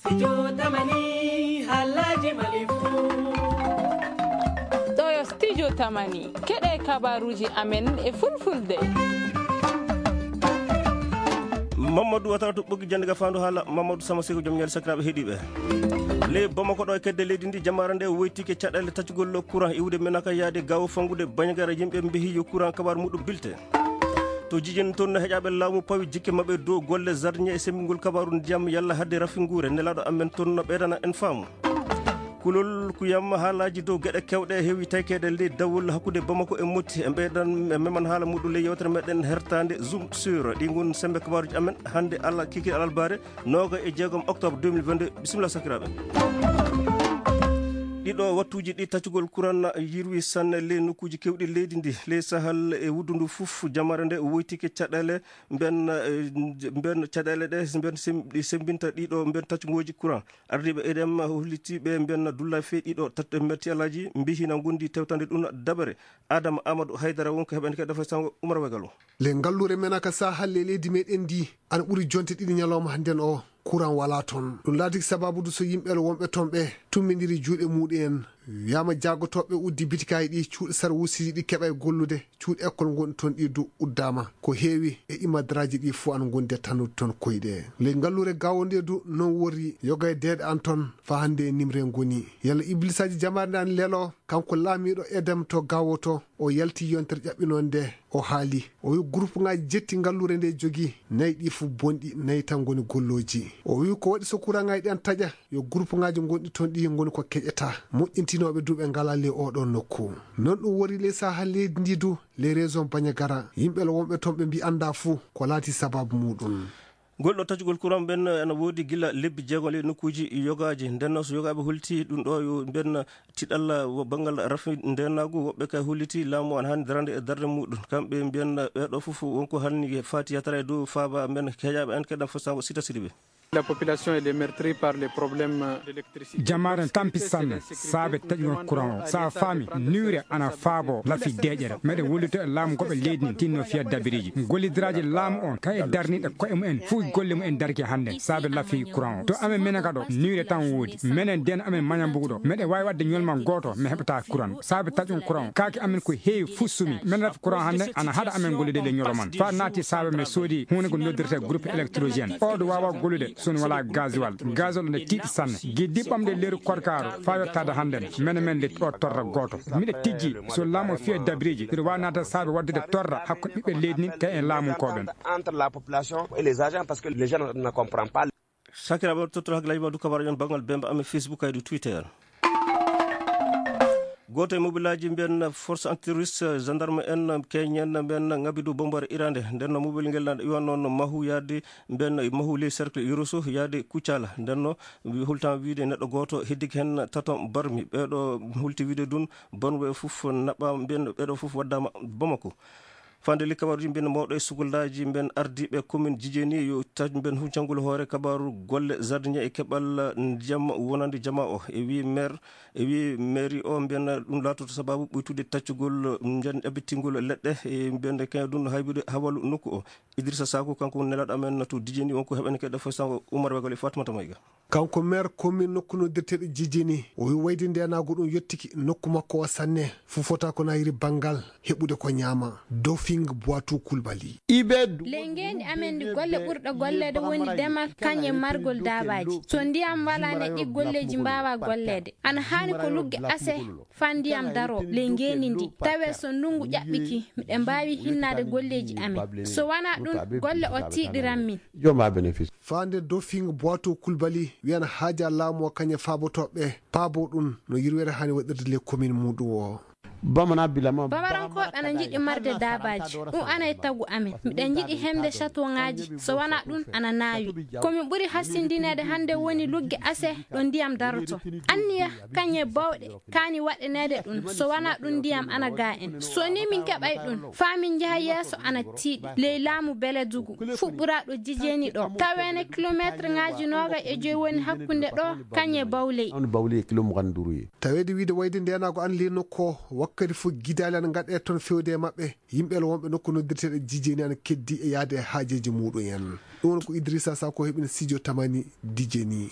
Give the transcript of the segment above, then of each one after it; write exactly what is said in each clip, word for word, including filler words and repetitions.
Studio Tamani, haalaaji Mali fuu. Ɗo yo Studio Tamani, keɗe kabaruuji amen e fulfulde. Mamadou Watara to ɓoggi jannde ga faandu haala, Mamadou Sama Seko, joom ñaali sakiraaɓe heɗiiɓe. Ley Bamako ɗo e kedde leydi ndi, jamaare nde woytike caɗeele taccugol courant iwde Menaka yaade Gaawo Fanngude Bañagara, yimɓe mbehi yo courant kabaru muɗum bilte. To Jijin toon, heƴaaɓe laamu pawi jikke maɓɓe dow golle zardiŋe e semmbingol kabaru ndiyam yalla hadde rafinguure. Nelaaɗo amen toon no ɓeydana en faamu. Kulol kuyam haalaaji dow geɗe keewɗe heewi taykeede ley dawol hakkunde Bamako e Motti. E ɓeydan, e meman haala muɗum ley yewtere meɗen hertaande Zoom sur ɗi ngon semmbe kabaruuji amen hannde Allah kikiiɗe alarbaare nooga e jeegom octobre deux mille vingt-deux. Bisimilla sakiraaɓe. Ɗiɗo wattuuji ɗi taccugol kuran yirwi sanne ley nokkuuji keewɗi leydi ndi, ley Sahel e wuddu ndu fof, jamaare nde woytike caɗeele mben, eh, mben caɗeele ɗe, mben sem-, ɗi semmbinta ɗiɗo mben taccugooji kuran. Ardiiɓe E D M holliti ɓe mben dulla fee ɗiɗo tat-, mben tiyalaaji mbihi na ngondi tewtande ɗum dabere. Adama Amadou Haydara wonko heɓani kadi defre sango Umar Wegalo. Le ngalluure men aka Sahel le leydi meɗen ndi ana ɓuri jonte ɗiɗi ñalawma hannden o. Kuran wala toon. Ɗum laati sababude so yimɓe wonɓe toon ɓe tummindiri juuɗe muɗum en. Wiyaama jaagotooɓe uddi bitikaaji ɗi, cuuɗi sarwuusiji ɗi keɓa e gollude, cuuɗi ekkol ngonɗi toon ɗi du uddaama. Ko heewi e imadraaji ɗi fof ana ngondi e tannude toon koyɗe. Ley ngalluure Gaawo nde du noon worri yoga e deeɗe an toon faa hannde e nimre ngoni. Yalla iblisaaji jamaare nde ana lelo, kanko laamiiɗo Edem to Gaawo to, o yalti yontere ƴaɓɓinoonde, o haali. O wi gurupŋaaji jetti ngalluure nde jogi, nayi ɗi fof bonɗi, nayi tan ngoni gollooji. O wi ko waɗi so kuraŋaaji ɗi ana taƴa, yo gurupŋaaji ngonɗi toon ɗi ngoni ko keƴataa. Moƴƴintinooɓe du ɓe ngalaa ley oɗo nokku. Noon ɗum wori ley Sahel leydi ndi du, ley région Bañagara. Yimɓe wonɓe toon ɓe mbi anndaa fuu ko laati sababu muɗum. Ngol ɗo taccugol kuran ɓen ena woodi gila lebbi jeego ley nokkuuji yogaaji. Nden noon so yogaaɓe holti ɗum ɗo yo mbiyen tiɗalla wo banngal rafi ndeenaagu, woɓɓe kay holliti laamu ana haani darande e darnde muɗum. Kamɓe mbiyen ɓeeɗo fof wonko hanni faati yatara e dow faaba mbiyen heƴaaɓe en keɗan fof sango sita siɗi ɓe. La population est meurtrie par les problèmes d'électricité. Jamaare tampi sanne saabe taƴugol kuran o. Sa faami, niwre ana faabo lafi deeƴere. Meɗen wollito e laamu goɓe leydi ndi tinno fiya dabiriji. Gollidiraaji laamu on, kay e darniiɗe ko'e mumen, fuu golle mumen darki hannde, saabe lafi kuran o. To amen menen ka ɗo, niwre tan woodi. Menen den amen Mañambugu ɗo, meɗen waawi waɗde ñolmal gooto, mi heɓata kuran. Saabe taƴugol kuran o, kaake amen ko heewi fuu sumi. Men rafi kuran hannde, ana haɗa amen gollude le ñoloman. Faa naati saabe men soodi huunde ko noddirte groupe électrogène. O ɗo waawa gollude, so on walaa gasoil. Gasoil ne tiiɗi sanne. Giddi ɓamde leeru korkaaro, faa yottaade hannde, menen men de o torra gooto. Miɗo tijji, so laamu o fiya dabiriji, mbiɗo waawi naata saabe waɗdude torra hakkunde ɓiɓɓe leydi ndi kay e laamunkooɓe. Entre la population et les agents, parce que les gens ne comprennent pas. Sakiraaɓe, tottoro hakkillaaji ma du kabaruuji on banngal bemba amen Facebook kay du Twitter. Gooto e mobilaaji mbiyen force anti-russe, gendarme en, keñen mbiyen ngabi du bombare irande. Nden no mobil ngel na iwan noon Mahu yaade mbiyen Mahu ley cercle Yoroso yaade Kuccala. Nden no wi-, hultan wiide neɗɗo gooto heddike hen tato barmi. Ɓeeɗo hulti wiide dun bonɓe fof naɓɓa mbiyen ɓeeɗo fof waddama Bamako. Fande li kabaruuji mbiyen mawɗo e sukuldaaji mbiyen ardiiɓe commune Jijeni yo taƴ mbiyen huccangol hoore kabaru golle jardinier e keɓal ndiyam wonande jama o. E wi maire, e wi mairie o mbiyen ɗum laatoto sababu ɓuytude taccugol mbiyen ɗabitingol leɗɗe e mbiyen kañum ɗum haybude hawalu nokku o. Idrissa Sakou kanko woni nelaaɗo amen to Jijeni, wonko heɓani keɗɗo fof sango Umar Wegol e Fatimata Mayga. Kanko maire commune nokku noddirteeɗo Jijini, o wi wayde ndeenaagu ɗum yottiki nokku makko o sanne, fufota ko nayiri banngal heɓude ko ñaama. Dofing Boitou Coulibaly. Ley ngeendi amen ndi, golle ɓurɗe golleede woni demal, kañum e margol daabaaji. So ndiyam walaani, ɗi golleeji mbaawaa golleede. Ana haani ko lugge ase faa ndiyam daroo ley ngeendi ndi, tawee so ndunngu ƴaɓɓike, miɗen mbaawi hinnaade golleeji amen. So wanaa ɗum, golle o tiiɗiran min. Faa nde Dofing Boitou Coulibaly wiyana haaja laamu o kañum e faabotooɓe paabo ɗum no yirwere haani waɗirde ley commune muɗum o. Bamarankooɓe ana njiɗi marde daabaaji, ɗum ana e tagu amen. Miɗen njiɗi heɓde château ŋaaji, so wanaa ɗum ana naawi. Ko min ɓuri hasindineede hannde woni lugge ase ɗo ndiyam daroto. Anniya kañum e bawɗe kaani waɗaneede ɗum, so wanaa ɗum ndiyam ana gaa en. So nii min keɓay ɗum, faa min njaha yeeso ana tiiɗi ley laamu Beledugu, fuɗɓuraaɗo Jijeni ɗo. Taweene kilomeetreŋaaji noogay e joy woni hakkunde ɗo, kañum e Bawley. Taweede wiide wayde ndeenaagu ana ley nokku o, wakkati fof gidaali ana ngaɗee toon fewde e maɓɓe. Yimɓe wonɓe nokku noddirteeɗo Jijeni ana keddi e yahde e haajeeji muɗum en. Ɗum woni ko Idrissa Sakou heɓini studio Tamani Jijeni.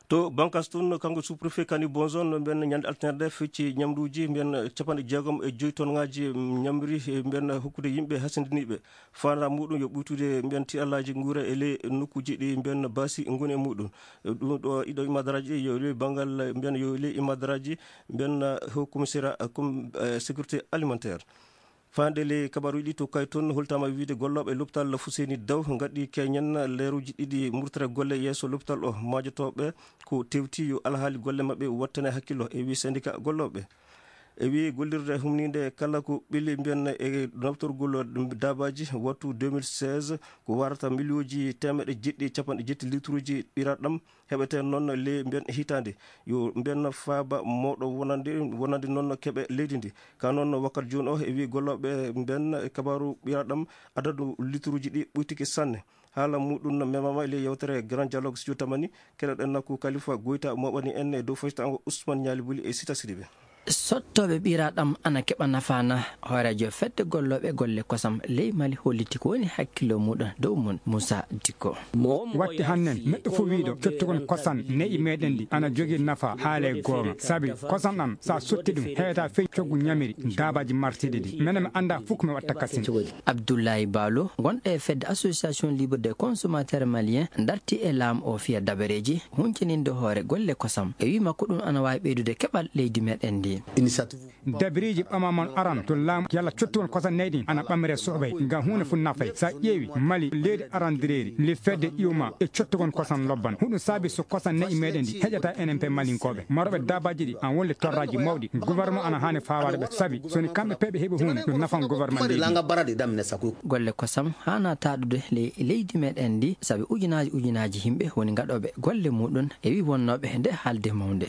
To Bankas toon, kanko sous-préfet Kani Bonzon, mbiyen ñande altine nde fecci ñamduuji, mbiyen capanɗe jeegom e joyi tonngaaji ñamri, mbiyen hokkude yimɓe hasindiniiɓe. Faandaare muɗum yo ɓuytude mbiyen tiiɗallaaji nguura e ley nokkuuji ɗi mbiyen baasi ngoni e muɗum. Ɗum ɗo ɗiɗo imadaraaji ɗi yo ley banngal mbiyen yo ley imadaraaji mbiyen haut commissariat, com-, eh, sécurité alimentaire. Faande ley kabaaruuji ɗi to Kay toon, holtaama wiide gollooɓe lopital Fuseni Daw ngaɗi keñen leeruuji ɗiɗi murtere golle yeeso lopital o. Maajotooɓe ko tewti yo alhaali golle maɓɓe wattane hakkillo, e wii syndicat gollooɓe. E wii gollirde humniinde kala ko ɓili mbiyen e naftorgol daabaaji wattu deux mille seize ko warata miliyooji teemeɗɗe jeɗɗi e capanɗe jetti litruuji ɓiraɗam heɓete noon ley mbiyen hitaande. Yo mbiyen faaba mawɗo wonande, wonande noon keɓe leydi ndi. Ka noon wakkati jooni o e wii gollooɓe mbiyen e kabaaru ɓiraɗam adadu litruuji ɗi ɓuytike sanne. Haala muɗum memaama e ley yewtere Grand Dialogue Studio Tamani, keɗoɗen ko Kalifa Goyta moɓani en e dow faytaango Ousmane Ñaali Buli e Sita Sidibe. Sottooɓe ɓiraɗam ana keɓa nafaana. Hooreejo fedde gollooɓe golle kosam ley Mali holliti ko woni hakkillo muɗum dow mum, Moussa Dicko. Watti hannen, neɗɗo fof wiiɗo cottugon kosan ne'i meɗen ɗi ana jogii nafa haale goonga. Sabi kosan ɗan, sa sotti ɗum, heɓata fey coggu ñamiri daabaaji martiiɗi ɗi. Menen mi annda fof ko mi watta kasin. Abdoulaye Balo, gonɗo e fedde Association Libre des Consommateurs Maliens, darti e laamu o fiya dabareeji huncininde hoore golle kosam. E wii makko ɗum ana waawi ɓeydude keɓal leydi meɗen ndi. Dabiriiji ɓamaama aran to laamu yalla cottuwon kosan neyɗin ana ɓamre soɓay ngam huunde fof nafay. Sa ƴeewi Mali leydi arandireeri le fedde iwma e cottugon kosan lobban. Huɗum saabi so kosan ne'i meɗen ndi heƴata enen pe Malinkooɓe. Marooɓe daabaaji ɗi an wonde torraaji mawɗi. Gouvernement ana haani fawaade ɓe sabi so ni kamɓe pe ɓe heɓi huunde ɗum nafan gouvernement leydi. Golle kosam haana taaɗude le-, leydi meɗen ndi sabi ujunaaji ujunaaji yimɓe woni gaɗooɓe golle muɗum e wii wonnooɓe nde haalde mawnde.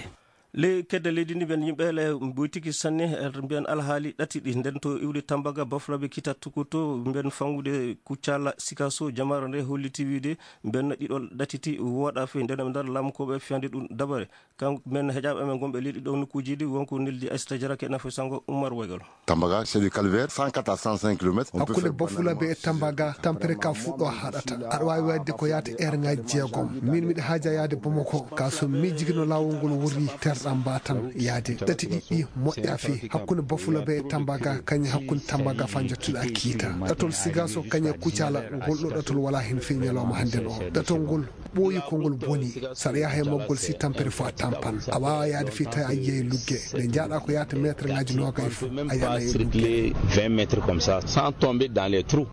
Ley kedde leydi ndi mbiyen yimɓe le mboytiki sanne, eh, mbiyen alhaali ɗati ɗi nden to iwde Tambaga, Bafulaɓe, Kita Tukuto, mbiyen fangude Kuccala, Sikaso, jamaare nde holliti wiide mbiyen ɗiɗo ɗatiti wooɗa fey nden ɓe ndar laamukooɓe fiyande ɗum dabare. Kan mbiyen heƴaaɓe amen gonɓe leydi ɗo nokkuuji ɗi wonko neldi Aissata Diarra ke nafa sango Oumar Waygal. Tambaga, c'est du calvaire, cent quatre à cent cinq kilomètres. On peut Hakkunde faire Bafulaɓe e Tambaga, tampere ka fuɗɗo haɗata. Aɗa waawi waɗde ko yaata heure ngaji jeegom. Min miɗa haaja yaade Bamako, ka so miijigino laawol ngol wurri terɗam mba tan yaade. Ɗati ɗiɗi moƴƴa fii. Hakkunde Bafulaɓe e Tambaga, kañe hakkunde Tambaga fa jottuɗa Kiita. Ɗatol Sigaso, kañe Kucala, ngol ɗo ɗatol wala hen fii ñalawma hannden o. Ɗatol ngol ɓooyi ko ngol boni. Saɗa yaha e maggol si tampere fof a tampan. A waawa yaade fii tawi a yiyay lugge. Nde njaaɗa ko yaata meetre ngaji noogay fof, a yana e lugge. Vingt mètres comme ça, sans tomber dans les trous.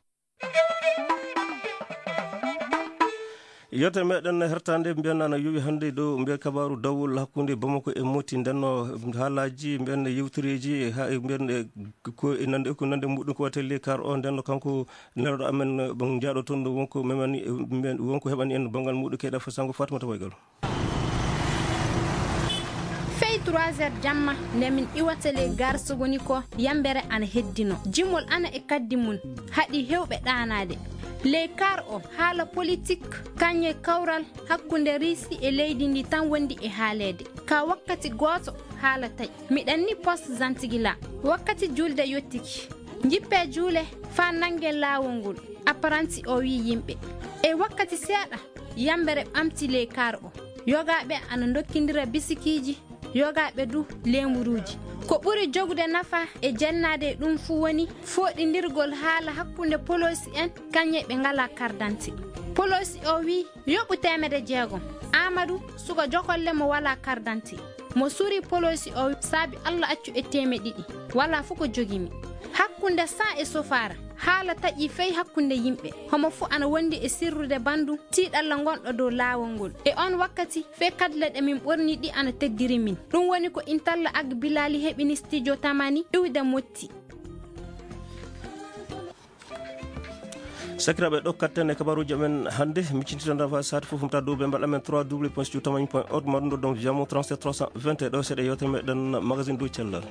Yewtere meɗen hertande mbiyen ana yowi hannde ɗo mbiyen kabaaru dawol hakkunde Bamako e Moti ndenno haalaji mbiyen yewtereji ha e mbiyen e ko e nande, ko nande muɗum ko wate le kar o ndenno kanko nelɗo amen ɓen jaaɗo toon ɗo wonko memani, mbiyen wonko heɓani en banngal muɗum keyɗa fasango Fatimata Waygal. Fey trois heures jamma, nde min iwata ley gare Sogoni ko, yambere ana heddino. Jimol ana e kaddi mum, haɗi hewɓe ɗaanaade. Ley kar o, haala politik, kañe kawral hakkunde Riisi e leydi ndi tan wondi e haaleede. Ka wakkati gooto, haala taƴi. Miɗen ni poste Zantigila. Wakkati julde yottiki. Njippee juule faa nanngen laawol ngol. Apparanti o wi'i yimɓe. E wakkati seeɗa, yambere ɓamti ley kar o. Yogaaɓe ana ndokkindira bisikiiji, yogaaɓe du leemuruuji. Ko ɓuri jogude nafa e jennaade e ɗum fuu woni fooɗindirgol haala hakkunde poloosi en kañe ɓe ngalaa kardante. Poloosi o wi'i yoɓu teemedde jeegom. Aamadu, suka jokolle mo walaa kardante. Mo suri poloosi o saabi Alla accu e teeme ɗiɗi. Walaa fof ko jogimi. Hakkunde Saa e Sofaara, haala taƴi fey hakkunde yimɓe. Homo fof ana wondi e sirrude banndum tiiɗalla ngonɗo dow laawol ngol. E on wakkati, fey kadle ɗe min ɓorni ɗi ana teddiri min. Ɗum woni ko Intalla Ag Bilali heɓini Studio Tamani iwde Motti. Sakiraaɓe, ɗo katten e kabaaruuji amen hannde. Miccitiɗon rafa saati fof, mbaɗa dow ɓe mbaɗa men trois w point studio tamani point org, maɗum ɗo donc via mo trente-sept trois cent vingt et un. Ɗo seeɗa yewtere meɗen magazine dow cellal.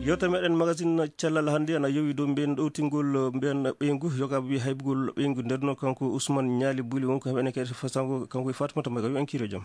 Yewtere meɗen magazine cellal hannde ana yowi dow mbiyen ɗowtingol mbiyen ɓeyngu, yogaaɓe wi'i haybugol ɓeyngu. Nden noon kanko Ousmane Ñaali Buli wonko heɓene kadi fasango kanko e Fatimata Mbaye, yo en kiiro jam.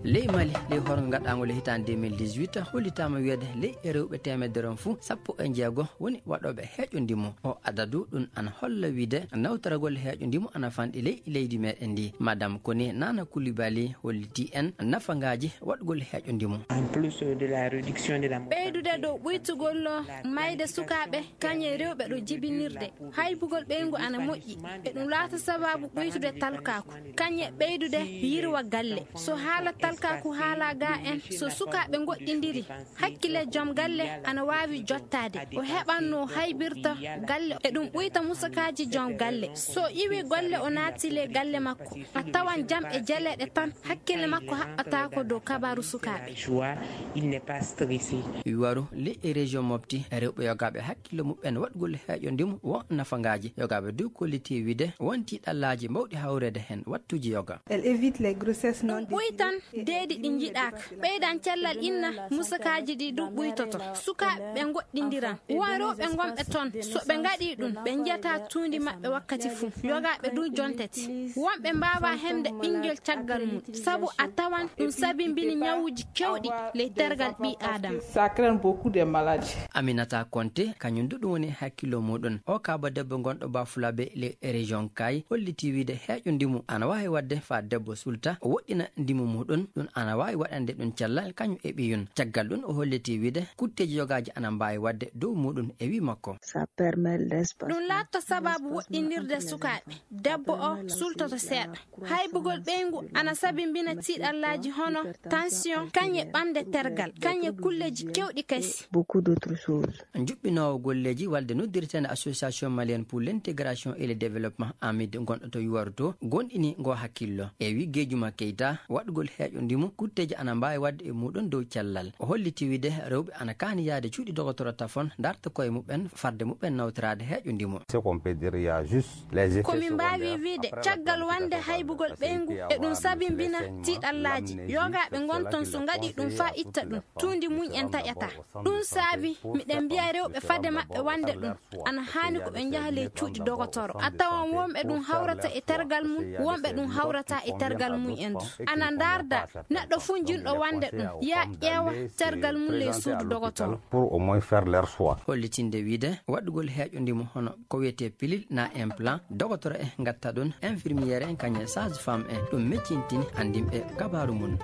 Ley Mali, ley horgo gaɗaango ley hitaande deux mille dix-huit, hollitaama wiyeede ley e rewɓe teemedere on fuu, sappo e jeego woni waɗooɓe heeƴo ndimu. O adadu ɗum ana holla wiide nawtoragol heeƴo ndimu ana fanɗi ley leydi meɗen ndi. Madame Kone Nana Koulibaly holliti en nafangaaji waɗgol heeƴo ndimu. En plus de la réduction de la mortalité, ɓeydude dow ɓuytugol mayde sukaaɓe, kañe rewɓe ɗo jibinirde. Haybugol ɓeyngu ana moƴƴi. E ɗum laata sababu ɓuytude talkaaku. Kañe ɓeydude yirwa galle. So haala talkaaku haala ga en, so sukaaɓe ngoɗɗindiri, hakkille joom galle ana waawi jottaade. O heɓan no haybirta galle. E ɗum ɓuyta musakaaji joom galle. So iwi golle o naati le galle makko, a tawan jam e jeleeɗe tan. Hakkille makko haɓɓataako dow kabaaru sukaaɓe. Joie, il n'est pas stressé. Yuwaru ley e région Mopti, rewɓe yogaaɓe hakkille muɓɓen waɗgol heeƴo ndimu won nafangaaji. Yogaaɓe dow kolliti wiide won tiiɗallaaji mawɗi hawreede heen wattuuji yoga. Elle évite les grossesses non désirées. Ɗum ɓuytan deedi ɗi njiɗaaka. Ɓeydan cellal inna, musakaaji ɗi ɗum ɓuytoto. Sukaaɓe ɓe ngoɗɗindiran. Won rewɓe ngonɓe toon, so ɓe ngaɗii ɗum, ɓe njiyata tuundi maɓɓe wakkati fuu. Yogaaɓe ɗum jontete. Wonɓe mbaawaa heɓde ɓinngel caggal mum, sabu a tawan ɗum sabimbini ñawuuji keewɗi ley tergal ɓii Aadama. Ça crée beaucoup de maladies. Aminata Konte, kañum du ɗum woni hakkillo muɗum. O kaaba debbo gonɗo Bafulabe ley région Kay, holliti wiide heeƴo ndimu ana waawi waɗde faa debbo sulta, o woɗɗina ndimu muɗum, ɗum ana waawi waɗande ɗum cellal kañum e ɓiyum. Caggal ɗum o holliti wiide kutteeji yogaaji ana mbaawi waɗde dow muɗum e wii makko. Ça permet l'espace. Ɗum laatto sababu woɗɗinirde sukaaɓe. Debbo o sultoto seeɗa. Haybugol ɓeyngu ana sabimbina tiiɗallaaji hono tension, kañe ɓamde tergal, kañe kulleeji keewɗi kasi. Beaucoup d'autres choses. Njuɓɓinoowo golleeji walde noddirteende Association Malienne pour l'Intégration et le Développement, AMID, gonɗo to Yuwaru to, gonɗini ngo hakkillo. E wi Gejuma Keita, waɗgol heeƴo ndimu, kutteeji ana mbaawi waɗde e muɗum dow cellal. O holliti wiide rewɓe ana kaani yahde cuuɗi dogotoro tafon, darta koye muɓɓen, farde muɓɓen nawtoraade heeƴo ndimu. Ce qu'on peut dire, il y a juste les effets secondaires. Ko min mbaawi wiide, caggal wonde haybugol ɓeyngu, e ɗum sabimbina tiiɗallaaji. Yogaaɓe ngon toon so ngaɗii ɗum faa itta ɗum, tuundi mum en taƴataa. Ɗum saabi miɗen mbiya rewɓe fade maɓɓe wonde ɗum ana haani ko ɓe njaha ley cuuɗi dogotoro. A tawan wonɓe ɗum hawrata e tergal mum, wonɓe ɗum hawrata e tergal mum en du. Ana ndaarda neɗɗo fuu jinɗo wonde ɗum, yaa ƴeewa tergal mum ley suudu dogotoro. Pour au moins faire leur choix. Hollitinde wiide waɗugol heeƴo ndimu hono ko wiyetee pilule na implant, dogotoro en ngatta ɗum, infirmière en kañum e sage-femme en, ɗum meccintini anndinɓe kabaaru mum.